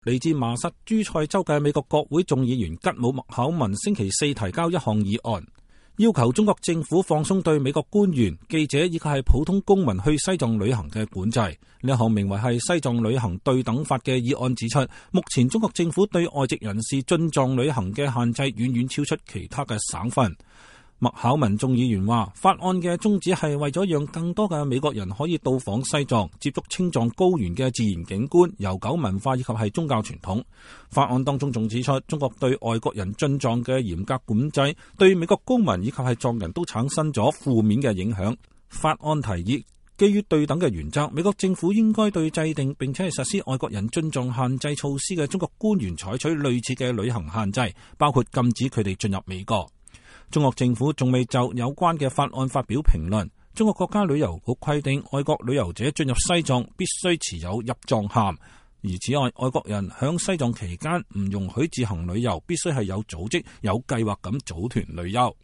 嚟自麻薩諸塞州嘅美國國會眾議員吉姆麥考文星期四提交一項議案，要求中國政府放鬆對美國官員、記者以及係普通公民去西藏旅行嘅管制。呢一項名為係西藏旅行對等法嘅議案指出，目前中國政府對外籍人士進藏旅行嘅限制遠遠超出其他嘅省份。麥考文眾議員話，法案嘅宗旨係為咗讓更多嘅美國人可以到訪西藏，接觸青藏高原嘅自然景觀、悠久文化以及係宗教傳統。法案當中仲指出，中國對外國人進藏嘅嚴格管制，對美國公民以及係藏人都產生咗負面嘅影響。法案提議，基於對等嘅原則，美國政府應該對制定並且係實施外國人進藏限制措施嘅中國官員採取類似嘅旅行限制，包括禁止佢哋進入美國。中國政府仲未就有關嘅法案發表評論。中國國家旅遊局規定，外國旅遊者進入西藏必須持有入藏函，而此外，外國人響西藏期間唔容許自行旅遊，必須係有組織、有計劃咁組團旅遊。